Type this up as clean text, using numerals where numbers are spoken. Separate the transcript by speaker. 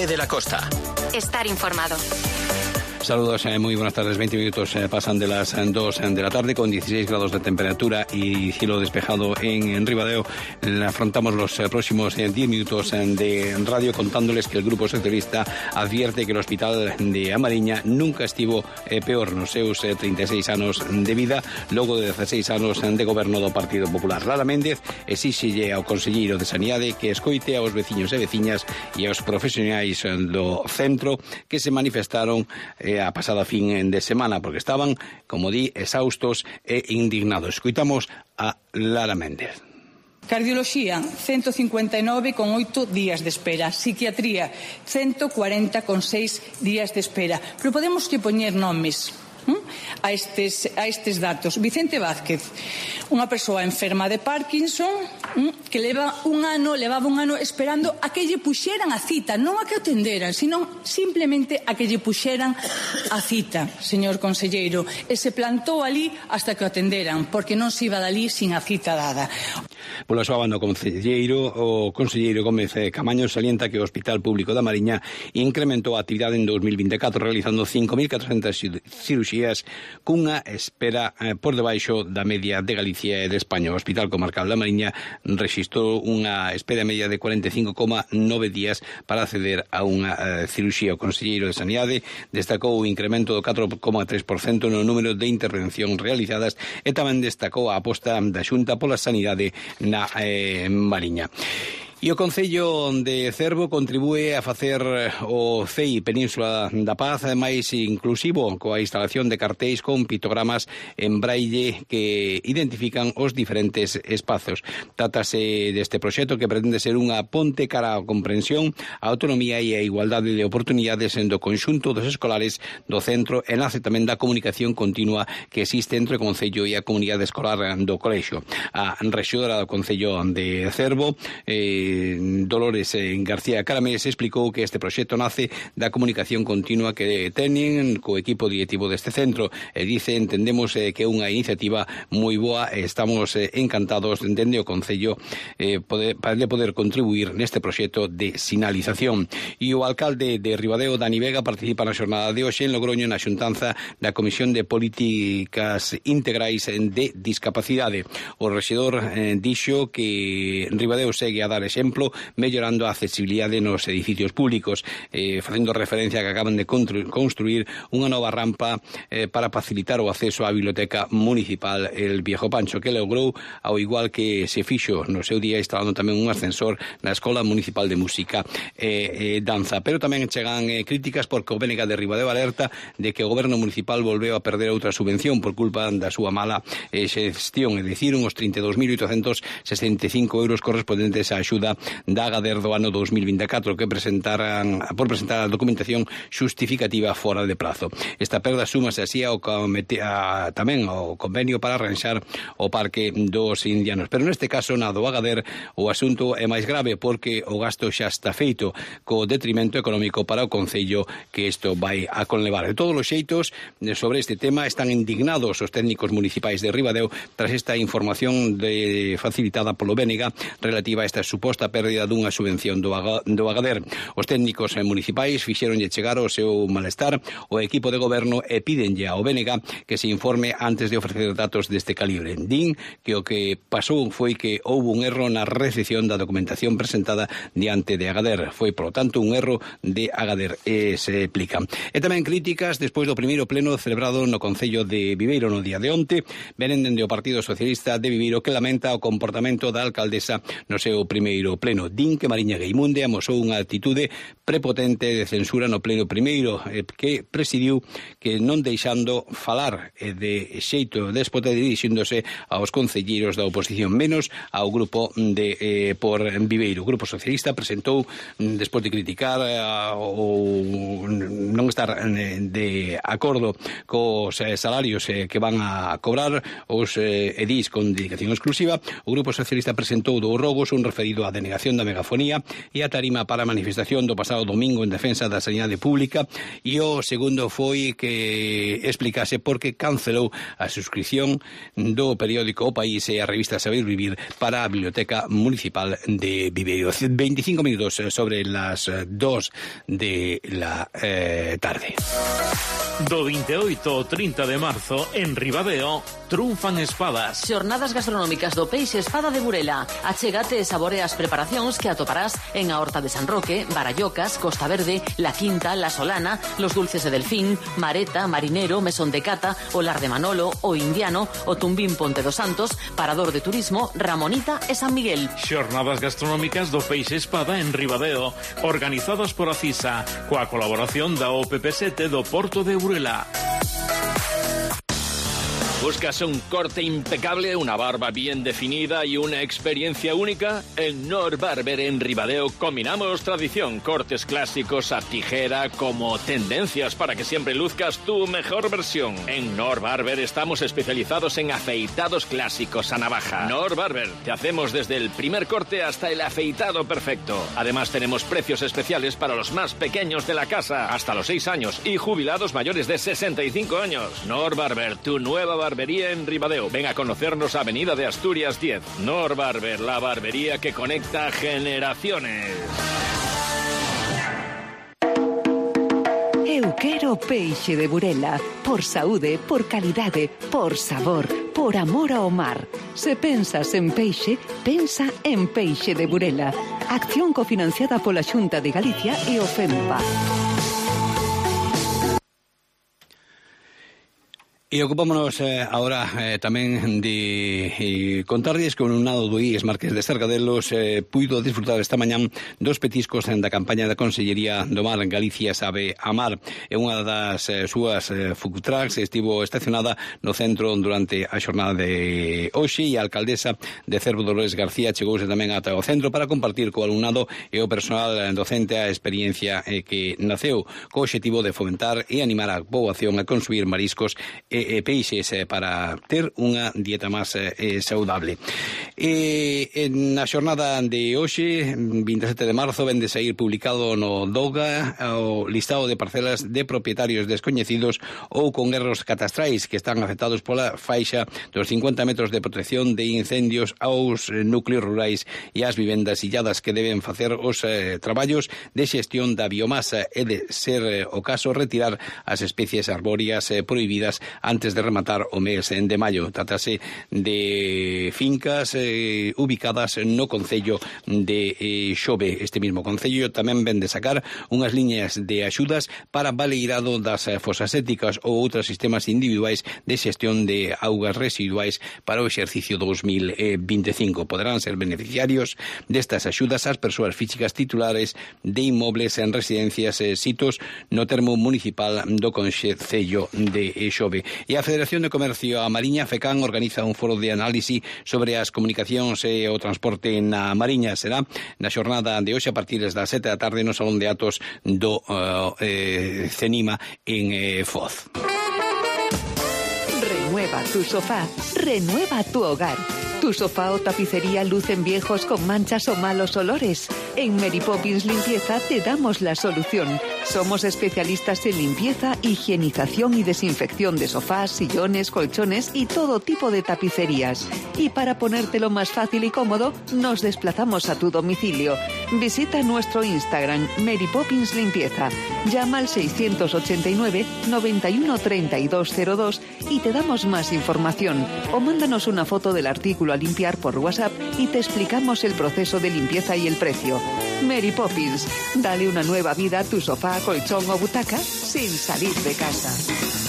Speaker 1: Jaime de la Costa.
Speaker 2: Estar informado.
Speaker 3: Saludos, muy buenas tardes. 20 minutos pasan de las 2 de la tarde con 16 grados de temperatura y cielo despejado en Ribadeo. Afrontamos los próximos 10 minutos de radio contándoles que el Grupo Socialista advierte que el Hospital de A Mariña nunca estivo peor nos seus 36 anos de vida, logo de 16 anos de goberno do Partido Popular. Lara Méndez exíxelle ao conselleiro de Sanidade que escoite aos veciños e veciñas e aos profesionais do centro que se manifestaron a pasada fin de semana porque estaban, como di, exhaustos e indignados. Escoitamos a Lara Méndez.
Speaker 4: Cardioloxía, 159 con 8 días de espera. Psiquiatría, 140 con 6 días de espera. Pero podemos que poñer nomes a estes datos. Vicente Vázquez, unha persoa enferma de Parkinson que levaba un ano esperando a que lle puxeran a cita, non a que atenderan, sino simplemente a que lle puxeran a cita, señor conselleiro, e se plantou ali hasta que o atenderan, porque non se iba dali sin a cita dada.
Speaker 3: Pola súa banda, o conselleiro Gómez Camaño salienta que o Hospital Público da Mariña incrementou a actividade en 2024 realizando 5.400 cirurxías cunha espera por debaixo da media de Galicia e de España. O Hospital Comarcal da Mariña rexistrou unha espera media de 45,9 días para acceder a unha cirurxía. O conselleiro de Sanidade destacou o incremento do 4,3% no número de intervencións realizadas e tamén destacou a aposta da Xunta pola sanidade na Mariña. E o Concello de Cervo contribúe a facer o CEI Península da Paz máis inclusivo coa instalación de cartéis con pictogramas en braille que identifican os diferentes espazos. Trátase deste proxecto que pretende ser unha ponte cara á comprensión, a autonomía e a igualdade de oportunidades do conxunto dos escolares do centro e nace tamén da comunicación continua que existe entre o Concello e a comunidade escolar do colexio. A rexedora do Concello de Cervo, Dolores García Caramés, explicou que este proxecto nace da comunicación continua que teñen co equipo directivo deste centro e dice, entendemos que é unha iniciativa moi boa e estamos encantados dende o Concello para poder contribuir neste proxecto de sinalización. E o alcalde de Ribadeo, Dani Vega, participa na xornada de hoxe en Logroño na xuntanza da Comisión de Políticas Integrais de Discapacidade. O rexedor dixo que Ribadeo segue a dar exemplo mellorando a accesibilidade nos edificios públicos, facendo referencia a que acaban de construir unha nova rampa para facilitar o acceso á biblioteca municipal El Viejo Pancho, que logrou, ao igual que se fixo no seu día instalando tamén un ascensor na Escola Municipal de Música e Danza. Pero tamén chegan críticas porque o BNG de Ribadeo alerta de que o goberno municipal volveu a perder outra subvención por culpa da súa mala xestión, é dicir, uns 32.865 euros correspondentes á axuda da Agader do ano 2024 que presentar a documentación xustificativa fora de prazo. Esta perda súmase así tamén ao convenio para arranxar o Parque dos Indianos. Pero neste caso, na do Agader, o asunto é máis grave porque o gasto xa está feito co detrimento económico para o Concello que isto vai a conlevar. De todos os xeitos, sobre este tema están indignados os técnicos municipais de Ribadeo tras esta información facilitada polo BNG relativa a esta suposta pérdida dunha subvención do Agader. Os técnicos municipais fixeronlle chegar o seu malestar ao equipo de goberno e pídenlle ao BNG que se informe antes de ofrecer datos deste calibre. Din que o que pasou foi que houve un erro na recepción da documentación presentada diante de Agader. Foi, por lo tanto, un erro de Agader, se explica. E tamén críticas despois do primeiro pleno celebrado no Concello de Viveiro no día de onte, venen dende o Partido Socialista de Viveiro que lamenta o comportamento da alcaldesa no seu primeiro pleno. Din que Mariña Gueimunde amosou unha actitude prepotente de censura no pleno primeiro que presidiu que non deixando falar de xeito déspota dirixíndose aos concelleiros da oposición menos ao grupo de por Viveiro. O Grupo Socialista presentou, despois de criticar ou non estar de acordo cos salarios que van a cobrar os edís con dedicación exclusiva, o Grupo Socialista presentou 2 rogos, un referido á denegación da megafonía e a tarima para a manifestación do pasado domingo en defensa da sanidade pública, e o segundo foi que explicase por que cancelou a suscripción do periódico O País e a revista Saber Vivir para a Biblioteca Municipal de Viveiro. 25 minutos sobre las 2 de la tarde.
Speaker 1: Do 28 ao 30 de marzo, en Ribadeo, trunfan espadas.
Speaker 2: Xornadas gastronómicas do Peixe Espada de Burela. Achégate e sabore as preparacións que atoparás en a Horta de San Roque, Barallocas, Costa Verde, La Quinta, La Solana, Los Dulces de Delfín, Mareta, Marinero, Mesón de Cata, Olar de Manolo, O Indiano, O Tumbín Ponte dos Santos, Parador de Turismo, Ramonita e San Miguel.
Speaker 1: Xornadas gastronómicas do Peixe Espada en Ribadeo, organizadas por a CISA, coa colaboración da OPP7 do Porto de Burela.
Speaker 5: ¿Buscas un corte impecable, una barba bien definida y una experiencia única? En Nor Barber en Ribadeo combinamos tradición, cortes clásicos a tijera como tendencias para que siempre luzcas tu mejor versión. En Nor Barber estamos especializados en afeitados clásicos a navaja. Nor Barber, te hacemos desde el primer corte hasta el afeitado perfecto. Además tenemos precios especiales para los más pequeños de la casa, hasta los 6 años, y jubilados mayores de 65 años. Nor Barber, tu nueva barbería en Ribadeo. Ven a conocernos a Avenida de Asturias 10. Nor Barber, la barbería que conecta generaciones.
Speaker 6: Eu quero Peixe de Burela. Por saúde, por calidade, por sabor, por amor ao mar. Se pensas en peixe, pensa en Peixe de Burela. Acción cofinanciada pola Xunta de Galicia e o FEMPA.
Speaker 3: E ocupámonos agora tamén de contarlles que o alumnado do IES Marqués de Sargadelos puido disfrutar esta mañán dos petiscos da campaña da Consellería do Mar. Galicia sabe amar. E unha das súas food trucks estivo estacionada no centro durante a xornada de hoxe, e a alcaldesa de Cervo, Dolores García, chegouse tamén ata o centro para compartir co alumnado e o personal docente a experiencia que naceu co obxectivo de fomentar e animar a poboación a consumir mariscos e peixes para ter unha dieta máis saudable. Na xornada de hoxe, 27 de marzo, vende sair publicado no DOGA o listado de parcelas de propietarios descoñecidos ou con erros catastrais que están afectados pola faixa dos 50 metros de protección de incendios aos núcleos rurais e ás vivendas illadas que deben facer os traballos de xestión da biomasa, e de ser o caso retirar as especies arbóreas prohibidas antes de rematar o mes de maio. Tratase de fincas ubicadas no concello de Xove. Este mismo concello tamén vende sacar unhas liñas de axudas para baleirado das fosas éticas ou outros sistemas individuais de xestión de augas residuais para o exercicio 2025. Poderán ser beneficiarios destas axudas as persoas físicas titulares de inmobles en residencias sitos no termo municipal do concello de Xove. E a Federación de Comercio a Mariña, FECAN, organiza un foro de análise sobre as comunicacións e o transporte na Mariña. Será na xornada de hoxe a partir das 7 da tarde no Salón de Atos do CENIMA en Foz.
Speaker 6: Renueva tu sofá, renueva tu hogar. ¿Tu sofá o tapicería lucen viejos con manchas o malos olores? En Mary Poppins Limpieza te damos la solución. Somos especialistas en limpieza, higienización y desinfección de sofás, sillones, colchones y todo tipo de tapicerías. Y para ponértelo más fácil y cómodo, nos desplazamos a tu domicilio. Visita nuestro Instagram, Mary Poppins Limpieza. Llama al 689 91 3202 y te damos más información. O mándanos una foto del artículo a limpiar por WhatsApp y te explicamos el proceso de limpieza y el precio. Mary Poppins, dale una nueva vida a tu sofá, colchón o butaca sin salir de casa.